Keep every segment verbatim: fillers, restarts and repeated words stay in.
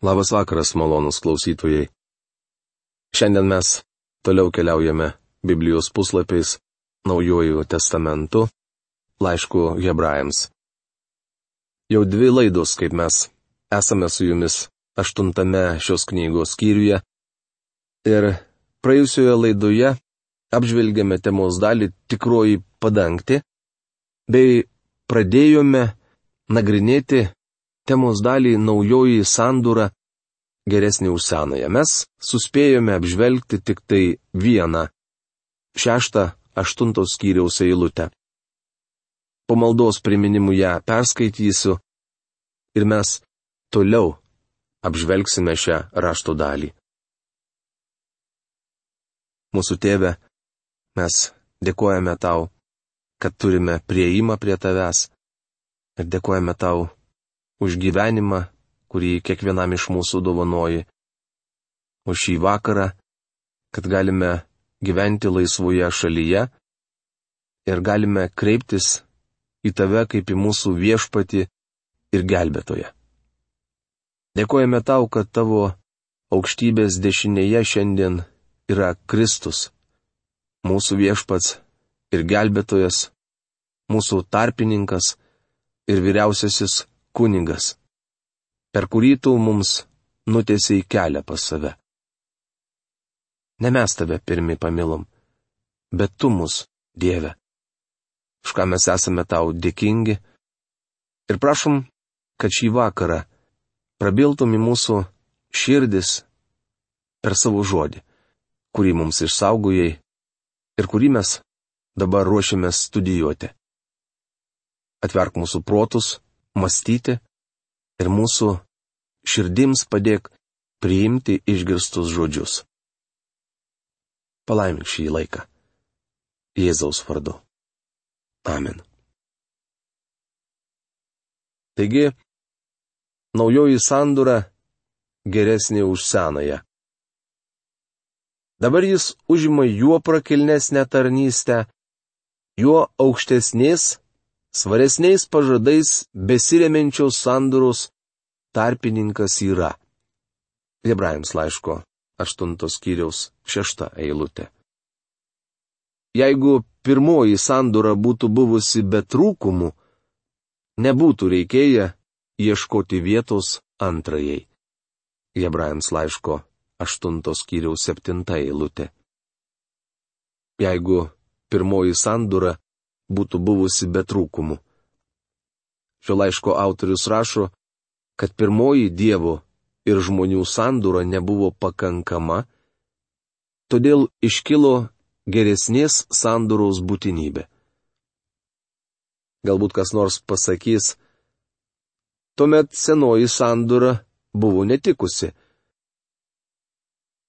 Labas vakaras, malonus klausytojai. Šiandien mes toliau keliaujame Biblijos puslapiais Naujuoju testamentu, laišku Hebrajams. Jau dvi laidos, kaip mes esame su jumis aštuntame šios knygos skyriuje, ir praėjusioje laidoje apžvelgėme temos dalį tikroji padangtė, bei pradėjome nagrinėti temos dalį naujoji sandūra geresnė už senąją. Mes suspėjome apžvelgti tik tai vieną šeštą aštuntos skyriaus eilutę. Po maldos priminimų ją perskaitysiu ir mes toliau apžvelgsime šią rašto dalį. Mūsų Tėve, mes dėkojame Tau, kad turime prieimą prie Tavęs ir dėkojame Tau už gyvenimą, kurį kiekvienam iš mūsų dovanoji, už šį vakarą, kad galime gyventi laisvoje šalyje ir galime kreiptis į Tave kaip į mūsų viešpatį ir gelbėtoją. Dėkojame Tau, kad Tavo aukštybės dešinėje šiandien yra Kristus, mūsų viešpats ir gelbėtojas, mūsų tarpininkas ir vyriausiasis kunigas, per kurį Tu mums nutiesiai kelią pas save. Ne mes Tave pirmi pamilom, bet Tu mus, Dieve, už ką mes esame Tau dėkingi, ir prašom, kad šį vakarą prabiltum į mūsų širdis per savo žodį, kurį mums išsaugojai ir kurį mes dabar ruošiamės studijuoti. Atverk mūsų protus, mąstyti ir mūsų širdims padėk priimti išgirstus žodžius. Palaimink šį laiką. Jėzaus vardu. Amen. Taigi, naujoji sandūra geresnė už senąją. Dabar jis užima juo prakilnesnę tarnystę, juo aukštesnės, svaresniais pažadais besiremiančios sandūros tarpininkas yra. Hebrajams laiško aštuntos skyriaus šešta eilutė. Jeigu pirmoji sandūra būtų buvusi be trūkumų, nebūtų reikėję ieškoti vietos antrajai. Hebrajams laiško aštuntos skyriaus septinta eilutė. Jeigu pirmoji sandūra būtų buvusi be trūkumų. Šio laiško autorius rašo, kad pirmoji Dievo ir žmonių sandūra nebuvo pakankama, todėl iškilo geresnės sandūros būtinybė. Galbūt kas nors pasakys, tuomet senoji sandūra buvo netikusi.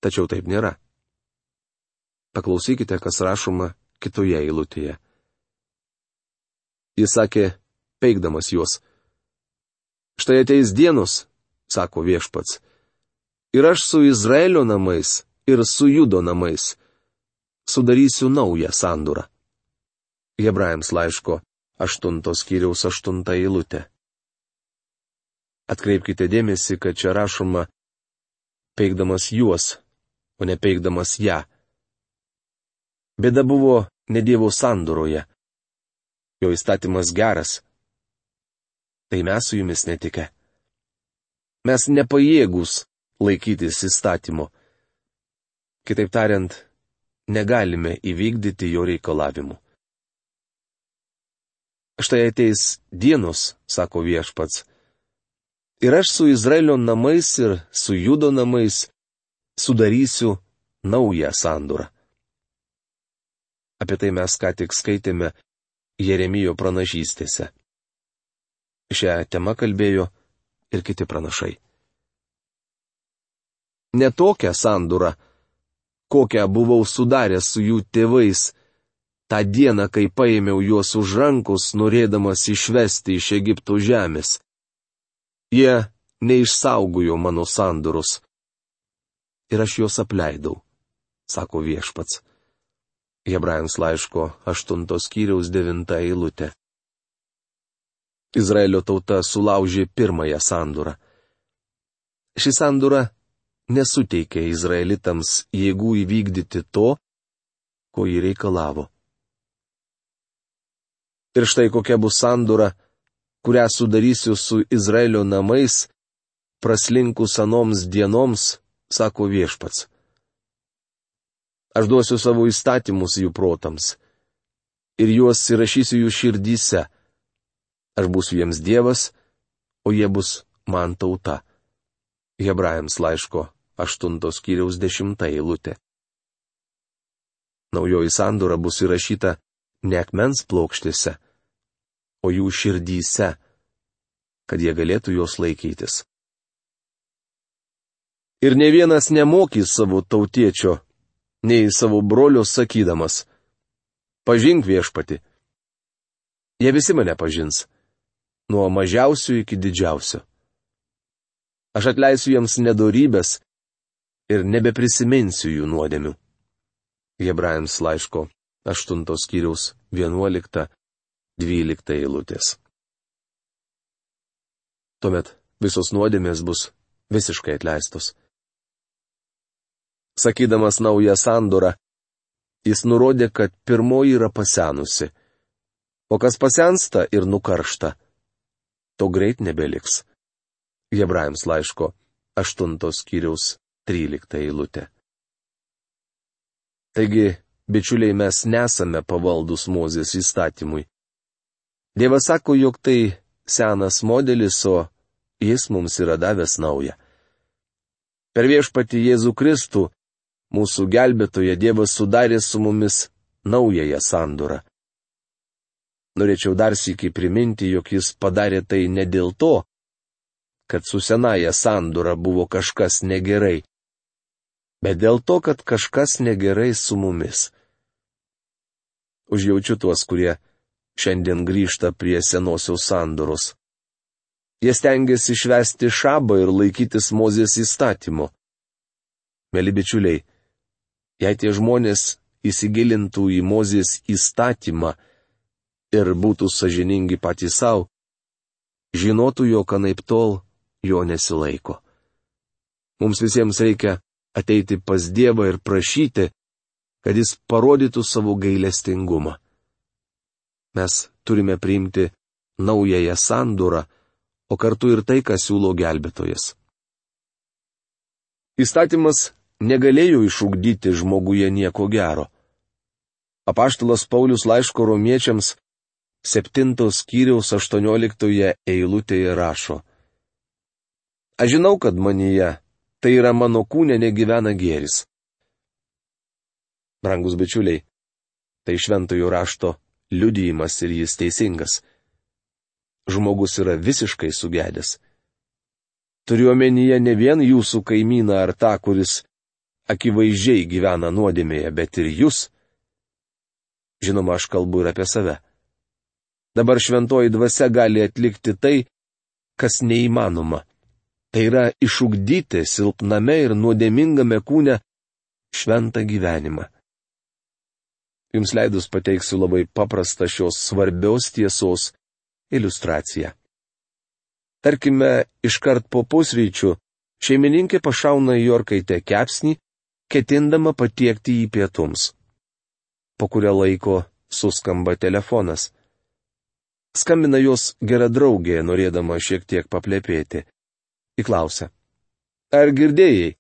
Tačiau taip nėra. Paklausykite, kas rašoma kitoje eilutėje. Jis sakė, peikdamas juos. Štai ateis dienos, sako viešpats, ir aš su Izraelio namais ir su Judo namais sudarysiu naują sandūrą. Hebrajams laiško aštuntos skyriaus aštunta eilutė. Atkreipkite dėmesį, kad čia rašoma peikdamas juos, o ne peikdamas ją. Bėda buvo ne Dievo sandūroje. Jo įstatymas geras. Tai mes su jumis netike. Mes nepajėgūs laikytis įstatymo. Kitaip tariant, negalime įvykdyti jo reikalavimų. Štai ateis dienos, sako viešpats, ir aš su Izraelio namais ir su Judo namais sudarysiu naują sandūrą. Apie tai mes ką tik skaitėme Jeremijo pranašystėse. Šią temą kalbėjo ir kiti pranašai. Ne tokią sandūrą, kokią buvau sudaręs su jų tėvais, tą dieną, kai paėmiau juos už rankos, norėdamas išvesti iš Egipto žemės. Jie neišsaugojo mano sandūros. Ir aš juos apleidau, sako viešpats. Hebrajams laiško aštuntos skyriaus devinta eilutė. Izraelio tauta sulaužė pirmąją sandūrą. Ši sandora nesuteikė izraelitams jėgų įvykdyti to, ko jį reikalavo. Ir štai kokia bus sandora, kurią sudarysiu su Izraelio namais, praslinkus anoms dienoms, sako Viešpats. Aš duosiu savo įstatymus jų protams ir juos įrašysiu jų širdyse. Aš būsiu jiems Dievas, o jie bus man tauta. Hebrajams laiško aštuntos skyriaus dešimta eilutė. Naujoji sandora bus įrašyta ne akmens plokštėse, o jų širdyse, kad jie galėtų jos laikytis. Ir ne vienas nemokys savo tautiečio, nei savo brolio sakydamas: pažink Viešpatį. Jie visi mane pažins, nuo mažiausių iki didžiausio. Aš atleisiu jiems nedorybės ir nebeprisiminsiu jų nuodėmių. Hebrajams laiško aštuntos skyriaus vienuolikta, dvylikta eilutės. Tuomet visos nuodėmės bus visiškai atleistos. Sakydamas naują sandorą, jis nurodė, kad pirmoji yra pasenusi, o kas pasensta ir nukaršta, to greit nebeliks. Hebrajams laiško aštuntos skyriaus trylikta eilutė. Taigi, bičiuliai, mes nesame pavaldus Mozės įstatymui. Dievas sako, jog tai senas modelis, o jis mums yra davęs naują. Per Viešpatį Jėzų Kristų, mūsų gelbėtoją, Dievas sudarė su mumis naująją sandorą. Norėčiau dar sykį priminti, jog jis padarė tai ne dėl to, kad su senaja sandora buvo kažkas negerai, bet dėl to, kad kažkas negerai su mumis. Užjaučiu tuos, kurie šiandien grįžta prie senosios sandoros. Jie stengiasi švęsti šabą ir laikytis Mozės įstatymo. Mėly bičiuliai, jei tie žmonės įsigilintų į Mozės įstatymą ir būtų sąžiningi patys savo, žinotų, jog anaiptol jo nesilaiko. Mums visiems reikia ateiti pas Dievą ir prašyti, kad jis parodytų savo gailestingumą. Mes turime priimti naująją sandorą, o kartu ir tai, ką siūlo gelbėtojas. Įstatymas negalėjo išugdyti žmoguje nieko gero. Apaštalas Paulius laiško romiečiams septintos skyriaus aštuonioliktoje eilutėje rašo: Aš žinau, kad manyje, tai yra mano kūne, negyvena gėris. Brangus bičiuliai, tai šventojo rašto liudijimas ir jis teisingas. Žmogus yra visiškai sugedęs. Turiu omenyje ne vien jūsų kaimyną ar tą, kuris akivaizdžiai gyvena nuodėmėje, bet ir jūs. Žinoma, aš kalbu ir apie save. Dabar šventoji dvasia gali atlikti tai, kas neįmanoma. Tai yra išugdyti silpname ir nuodėmingame kūne šventą gyvenimą. Jums leidus pateiksiu labai paprastą šios svarbios tiesos iliustraciją. Tarkime, iškart po pusryčių šeimininkė pašauna į orkaitę kepsnį, ketindama patiekti jį pietums. Po kurio laiko suskamba telefonas. Skambina jos gera draugė, norėdama šiek tiek paplepėti. Įklausia: Ar girdėjai?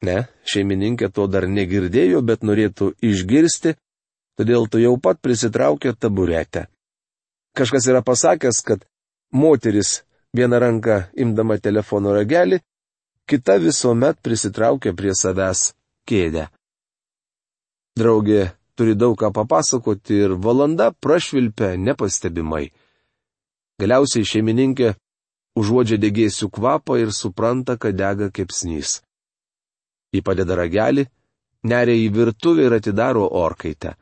Ne, šeimininkė to dar negirdėjo, bet norėtų išgirsti, todėl tu jau pat prisitraukė taburetę. Kažkas yra pasakęs, kad moteris vieną ranką imdama telefono ragelį, kita visuomet prisitraukia prie savęs kėdę. Draugė turi daug ką papasakoti ir valanda prašvilpia nepastebimai. Galiausiai šeimininkė užuodžia degėsių kvapą ir supranta, kad dega kepsnys. Ji padeda ragelį, neria į virtuvę ir atidaro orkaitę.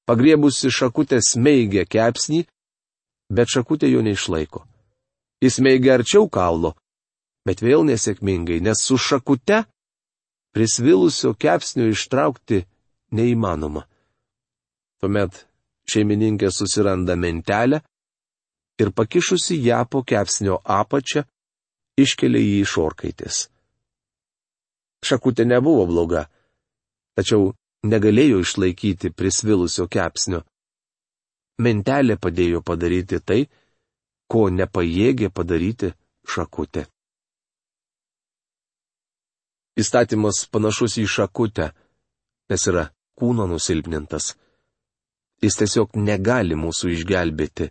Pagriebusi šakutę smeigia kepsnį, bet šakutė jo neišlaiko. Jis smeigia arčiau kaulo, bet vėl nesėkmingai, nes su šakute prisvilusio kepsnio ištraukti neįmanoma. Tuomet šeimininkė susiranda mentelę ir pakišusi ją po kepsnio apačią, iškelia jį iš orkaitės. Šakutė nebuvo bloga, tačiau negalėjo išlaikyti prisvilusio kepsnio. Mentelė padėjo padaryti tai, ko nepajėgė padaryti šakutė. Įstatymas panašus į šakutę, nes yra kūno nusilpnintas. Jis tiesiog negali mūsų išgelbėti.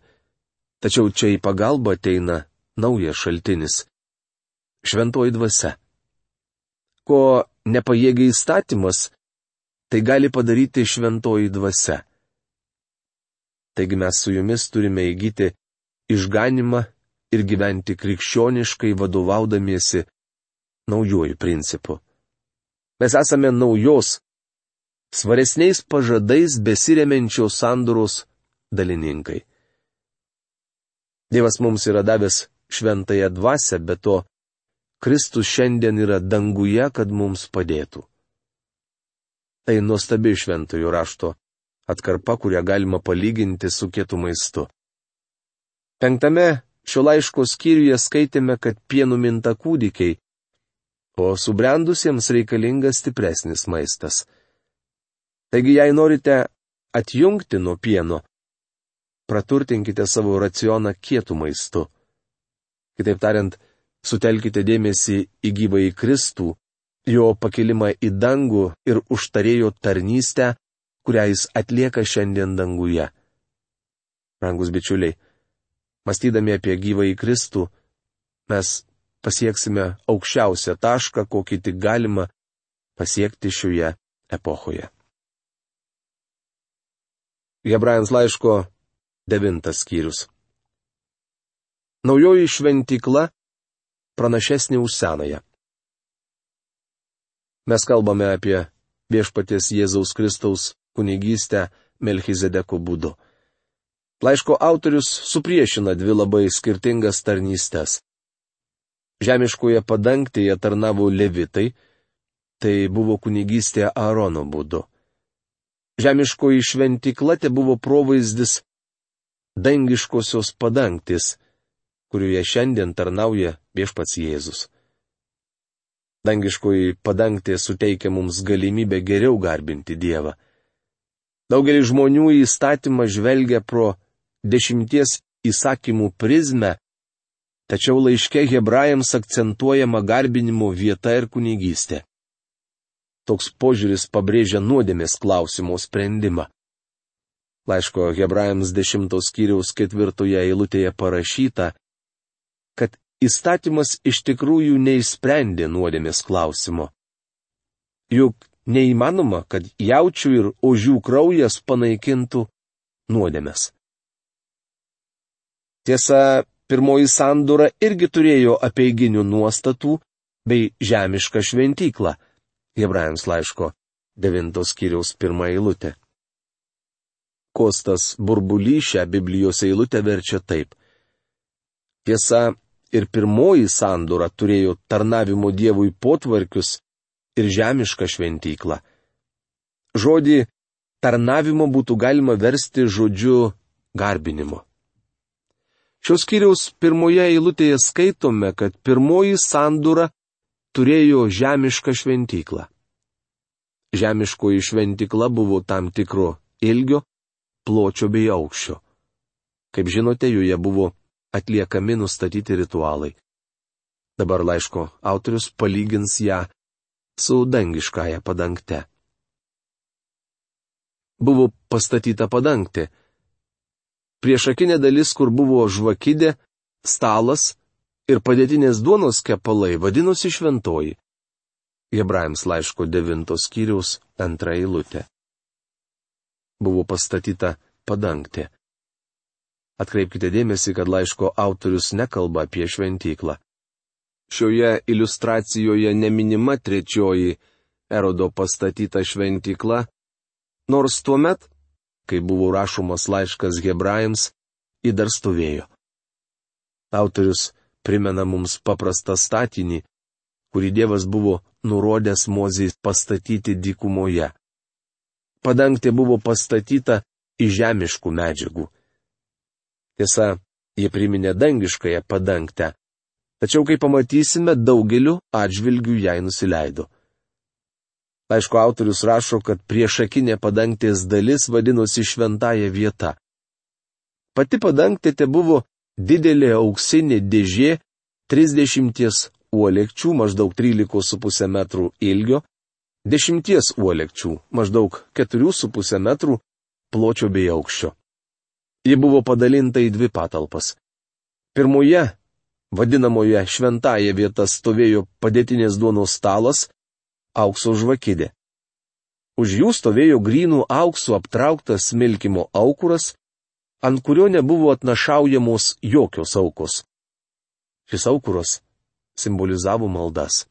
Tačiau čia į pagalbą ateina naujas šaltinis - šventoji dvasia. Ko nepajėgia įstatymas, tai gali padaryti šventoji dvasia. Taigi mes su jumis turime įgyti išganimą ir gyventi krikščioniškai vadovaudamiesi naujojų principų. Mes esame naujos, svaresniais pažadais besiremiančios sandoros dalininkai. Dievas mums yra davęs šventąją dvasią, bet to Kristus šiandien yra danguje, kad mums padėtų. Tai nuostabi šventojo rašto atkarpa, kurią galima palyginti su kietu maistu. Penktame šio laiško skyriuje skaitėme, kad pienu minta kūdikiai, o subrendusiems reikalingas stipresnis maistas. Taigi, jei norite atjungti nuo pieno, praturtinkite savo racioną kietu maistu. Kitaip tariant, sutelkite dėmesį į gyvąjį Kristų, jo pakilimą į dangų ir užtarėjo tarnystę, kurią jis atlieka šiandien danguje. Brangus bičiuliai, mąstydami apie gyvąjį Kristų, mes pasieksime aukščiausią tašką, kokį tik galima pasiekti šioje epochoje. Hebrajams laiško devintas skyrius. Naujoji šventykla pranašesnė už senąją. Mes kalbame apie viešpaties Jėzaus Kristaus kunigystę Melchizedeko būdu. Laiško autorius supriešina dvi labai skirtingas tarnystes. Žemiškoje padangtėje tarnavo levitai, tai buvo kunigystė Aarono būdu. Žemiškoji šventykla te buvo provaizdis dangiškosios padangtis, kurioje šiandien tarnauja viešpats Jėzus. Dangiškoji padangtė suteikia mums galimybę geriau garbinti Dievą. Daugelis žmonių į įstatymą žvelgia pro dešimties įsakymų prizmę, tačiau laiške Hebrajams akcentuojama garbinimo vieta ir kunigystė. Toks požiūris pabrėžia nuodėmės klausimo sprendimą. Laiško Hebrajams dešimtos skyriaus ketvirtoje eilutėje parašyta, kad įstatymas iš tikrųjų neišsprendė nuodėmės klausimo. Juk neįmanoma, kad jaučių ir ožių kraujas panaikintų nuodėmes. Tiesa, pirmoji sandora irgi turėjo apeiginių nuostatų bei žemišką šventyklą. Hebrajams laiško devintos skyriaus pirmą eilutę. Kostas Burbulys šią Biblijos eilutę verčia taip. Tiesa, ir pirmoji sandora turėjo tarnavimo Dievui potvarkius ir žemišką šventyklą. Žodį tarnavimo būtų galima versti žodžiu garbinimo. Šios skyriaus pirmoje eilutėje skaitome, kad pirmoji sandora turėjo žemišką šventyklą. Žemiškoji šventykla buvo tam tikro ilgio, pločio bei aukščio. Kaip žinote, joje buvo atliekami nustatyti ritualai. Dabar laiško autorius palygins ją su dangiškąja padangte. Buvo pastatyta padangtė. Priešakinė dalis, kur buvo žvakidė, stalas ir padėtinės duonos kepalai, vadinosi šventoji. Hebrajams laiško devintos skyriaus antra eilutė. Buvo pastatyta padangtė. Atkreipkite dėmesį, kad laiško autorius nekalba apie šventyklą. Šioje iliustracijoje neminima trečioji Erodo pastatyta šventykla, nors tuomet, kai buvo rašomas laiškas Hebrajams, ji dar stovėjo. Autorius primena mums paprastą statinį, kurį Dievas buvo nurodęs Mozei pastatyti dykumoje. Padangtė buvo pastatyta iš žemiškų medžiagų. Tiesa, jie priminė dangiškąją padangtę, Tačiau, kaip pamatysime, daugeliu atžvilgių jai nusileido. Laiško autorius rašo, kad priešakinė padangtės dalis vadinosi šventąja vieta. Pati padangtė te buvo didelė auksinė dėžė, trisdešimties uolekčių, maždaug trylika su puse metrų ilgio, dešimties uolekčių, maždaug keturi su puse metrų pločio bei aukščio. Ji buvo padalinta į dvi patalpas. Pirmoje, vadinamoje šventąja vieta, stovėjo padėtinės duonos stalas, aukso žvakidė. Už jų stovėjo grynų auksų aptrauktas smilkimo aukuras, ant kurio nebuvo atnašaujamos jokios aukos. Šis aukuras simbolizavo maldas.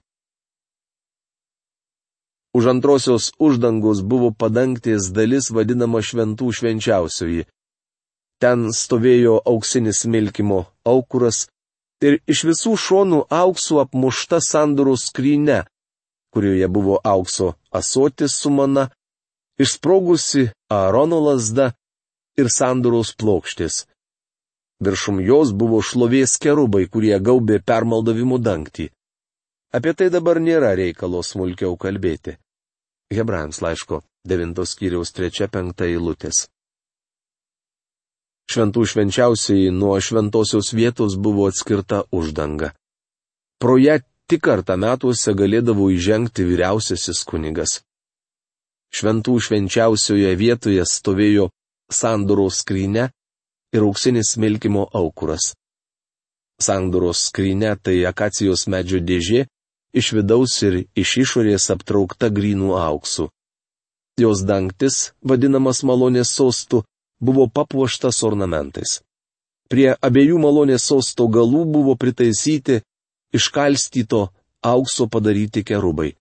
Už antrosios uždangos buvo padangtės dalis vadinama šventų švenčiausioji. Ten stovėjo auksinis smilkimo aukuras ir iš visų šonų auksų apmušta sandoros skrynia, kurioje buvo aukso ąsotis su mana, išsprogusi Aarono lazda ir sandoros plokštės. Viršum jos buvo šlovės kerubai, kurie gaubė permaldavimų dangtį. Apie tai dabar nėra reikalo smulkiau kalbėti. Hebrajams laiško devintos skyriaus trečia penkta eilutės. Šventų švenčiausiai nuo šventosios vietos buvo atskirta uždanga. Pro ją tik kartą metuose galėdavo įžengti vyriausiasis kunigas. Šventų švenčiausioje vietoje stovėjo sandoros skrynia ir auksinis smilkimo aukuras. Sandoros skrynia tai akacijos medžio dėžė, iš vidaus ir iš išorės aptraukta grynų auksų. Jos dangtis, vadinamas malonės sostu, buvo papuoštas ornamentais. Prie abiejų malonės sosto galų buvo pritaisyti iškalstyto aukso padaryti kerubai.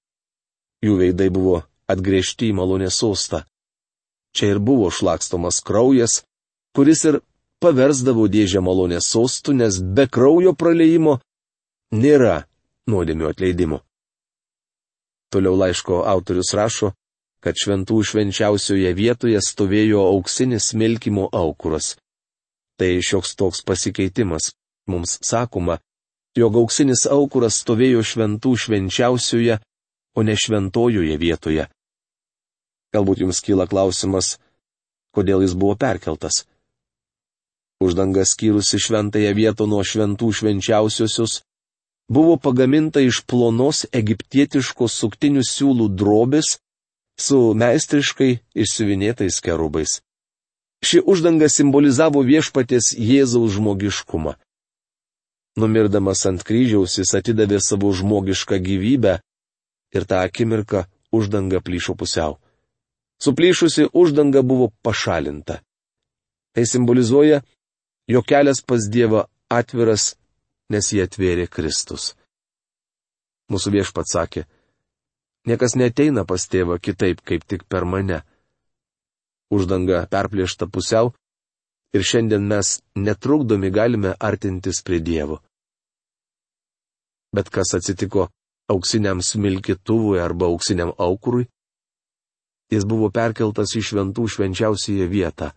Jų veidai buvo atgręžti į malonės sostą. Čia ir buvo šlakstomas kraujas, kuris ir paversdavo dėžę malonės sostų, nes be kraujo praliejimo nėra nuodėmių atleidimo. Toliau laiško autorius rašo, kad šventų švenčiausioje vietoje stovėjo auksinis smilkimo aukuras. Tai šioks toks pasikeitimas. Mums sakoma, jog auksinis aukuras stovėjo šventų švenčiausioje, o ne šventojoje vietoje. Galbūt jums kyla klausimas, kodėl jis buvo perkeltas. Uždanga skyrusi šventąją vietą nuo šventų švenčiausiosios buvo pagaminta iš plonos egiptietiškos suktinių siūlų drobės su meistriškai išsiuvinėtais kerubais. Ši uždanga simbolizavo viešpaties Jėzaus žmogiškumą. Numirdamas ant kryžiaus jis atidavė savo žmogišką gyvybę ir tą akimirką uždanga plyšo pusiau. Suplyšusi uždanga buvo pašalinta. Tai simbolizuoja, jog kelias pas Dievą atviras, nes jį atvėrė Kristus. Mūsų viešpats sakė, niekas neteina pas tėvą kitaip, kaip tik per mane. Uždanga perplėšta pusiau ir šiandien mes netrukdomi galime artintis prie Dievo. Bet kas atsitiko auksiniam smilkytuvui arba auksiniam aukurui? Jis buvo perkeltas į šventų švenčiausiąją vietą.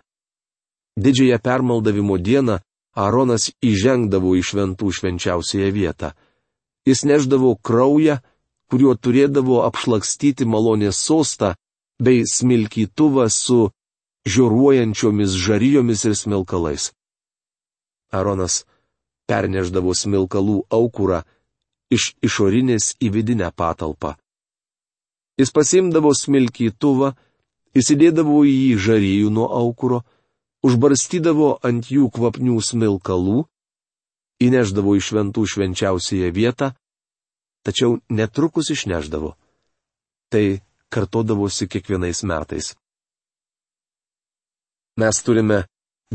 Didžiąją permaldavimo dieną Aaronas įžengdavo į šventų švenčiausiąją vietą. Jis neždavo kraują, kuriuo turėdavo apšlakstyti malonės sostą, bei smilkytuvą su žioruojančiomis žarijomis ir smilkalais. Aaronas perneždavo smilkalų aukurą iš išorinės į vidinę patalpą. Jis pasimdavo smilkytuvą, įsidėdavo į jį žarijų nuo aukuro, užbarstydavo ant jų kvapnių smilkalų, įneždavo į šventų švenčiausiąją vietą, tačiau netrukus išneždavo. Tai kartodavosi kiekvienais metais. Mes turime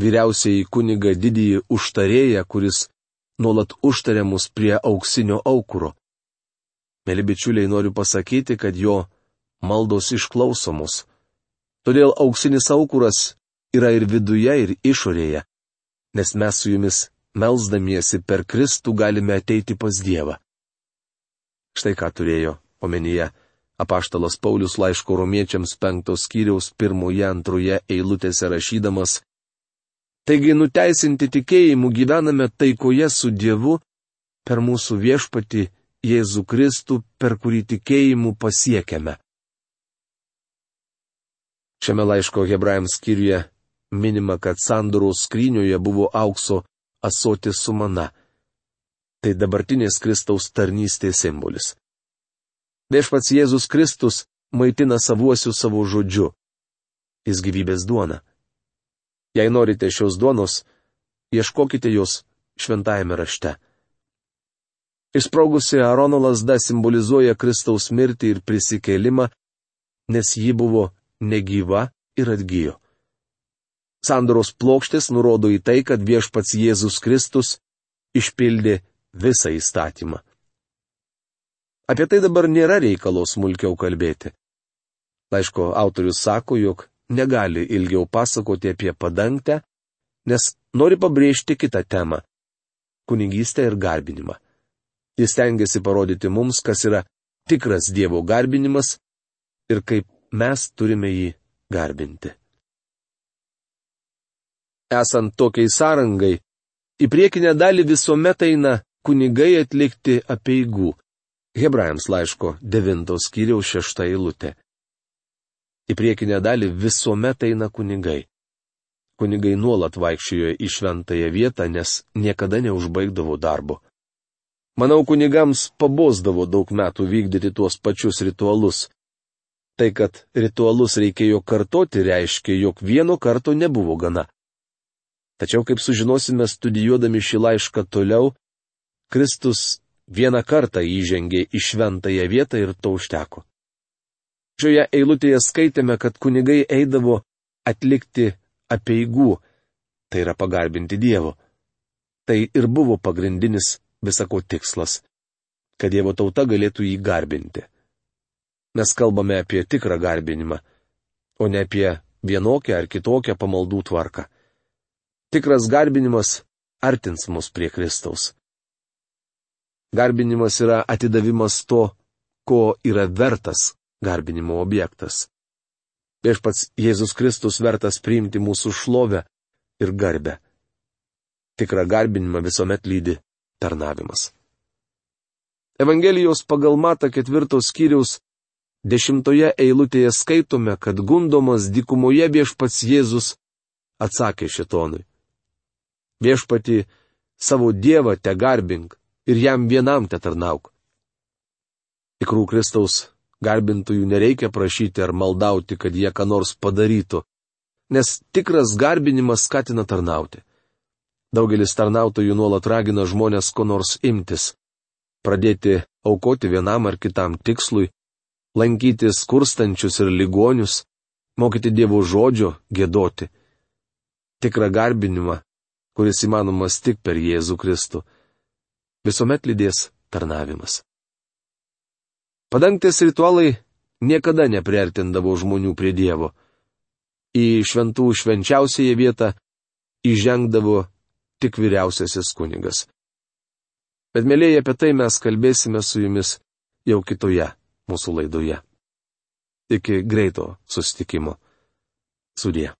vyriausiąjį kunigą didįjį užtarėją, kuris nuolat užtaria mus prie auksinio aukuro. Mėly bičiuliai, noriu pasakyti, kad jo maldos išklausomos. Todėl auksinis aukuras yra ir viduje, ir išorėje, nes mes su jumis melsdamiesi per Kristų galime ateiti pas Dievą. Štai ką turėjo omenyje apaštalas Paulius laiško romiečiams penktos skyriaus pirmoje antroje eilutėse rašydamas: Taigi nuteisinti tikėjimu gyvename taikoje su Dievu per mūsų viešpatį Jėzų Kristų, per kurį tikėjimu pasiekiame. Šiame laiško Hebrajams skyriuje minima, kad sandoros skrynioje buvo aukso ąsotis su mana. Tai dabartinės Kristaus tarnystės simbolis. Viešpats Jėzus Kristus maitina savuosius savo žodžiu. Jis gyvybės duona. Jei norite šios duonos, ieškokite jos šventajame rašte. Išsprogusi Aarono lazda simbolizuoja Kristaus mirtį ir prisikėlimą, nes ji buvo negyva ir atgijo. Sandoros plokštės nurodo į tai, kad viešpats Jėzus Kristus išpildė visą įstatymą. Apie tai dabar nėra reikalo smulkiau kalbėti. Laiško autorius sako, jog negali ilgiau pasakoti apie padangtę, nes nori pabrėžti kitą temą - kunigystę ir garbinimą. Jis stengiasi parodyti mums, kas yra tikras Dievo garbinimas ir kaip mes turime jį garbinti. Esant tokiai sąrangai, į priekinę dalį visuomet eina kunigai atlikti apeigų. Hebrajams laiško devintos skyriaus šešta eilutė. Į priekinę dalį visuomet eina kunigai. Kunigai nuolat vaikščiojo į šventąją vietą, nes niekada neužbaigdavo darbo. Manau, kunigams pabosdavo daug metų vykdyti tuos pačius ritualus. Tai, kad ritualus reikėjo kartoti, reiškia, jog vieno karto nebuvo gana. Tačiau, kaip sužinosime studijuodami šį laišką toliau, Kristus vieną kartą įžengė į šventąją vietą ir to užteko. Šioje eilutėje skaitėme, kad kunigai eidavo atlikti apeigų, tai yra pagarbinti Dievo. Tai ir buvo pagrindinis visako tikslas, kad Dievo tauta galėtų jį garbinti. Mes kalbame apie tikrą garbinimą, o ne apie vienokią ar kitokią pamaldų tvarką. Tikras garbinimas artins mus prie Kristaus. Garbinimas yra atidavimas to, ko yra vertas garbinimo objektas. Viešpats Jėzus Kristus vertas priimti mūsų šlovę ir garbę. Tikrą garbinimą visuomet lydi tarnavimas. Evangelijos pagal Matą ketvirtos skyriaus dešimtoje eilutėje skaitome, kad gundomas dykumoje viešpats Jėzus atsakė šėtonui: Viešpatį savo Dievą te garbink ir jam vienam te tarnauk. Tikrų Kristaus garbintojų nereikia prašyti ar maldauti, kad jie ką nors padarytų, nes tikras garbinimas skatina tarnauti. Daugelis tarnautojų nuolat ragina žmonės ko nors imtis, pradėti aukoti vienam ar kitam tikslui, lankyti skurstančius ir ligonius, mokyti Dievo žodžio, giedoti. Tikrą garbinimą, kuris įmanomas tik per Jėzų Kristų, visuomet lydės tarnavimas. Padangtės ritualai niekada nepriartindavo žmonių prie Dievo. Į šventų švenčiausiąją vietą įžengdavo tik vyriausiasis kunigas. Bet mėlyje, apie tai mes kalbėsime su jumis jau kitoje mūsų laidoje. Iki greito susitikimo. Sudie.